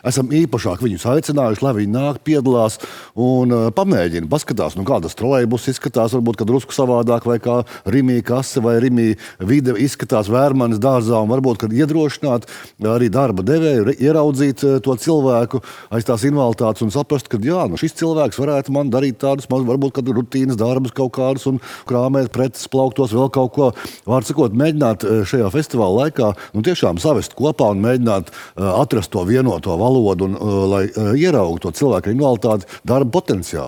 esam īpašāk viņus aicinājuši, lai viņi nāk, piedalās un pamēģina, paskatās, kā tas trolejbus izskatās, varbūt, kad drusku savādāk, vai kā Rimī kase vai Rimī vide izskatās Vērmanes dārzā, un varbūt, kad iedrošināt arī darba devēju, ieraudzīt to cilvēku aiz tās invaliditātes un saprast, ka jā, šis cilvēks varētu man darīt tādus, varbūt, kad rutīnas darbus kaut kādus un krāmēt preces, plauktos, vēl kaut ko. Vārds sakot, mēģināt šajā festivāla laikā tiešām savest kopā un mēģināt atrast to vienoto valodu un lai ieraugtu to cilvēku invaliditāti darba potenciālu.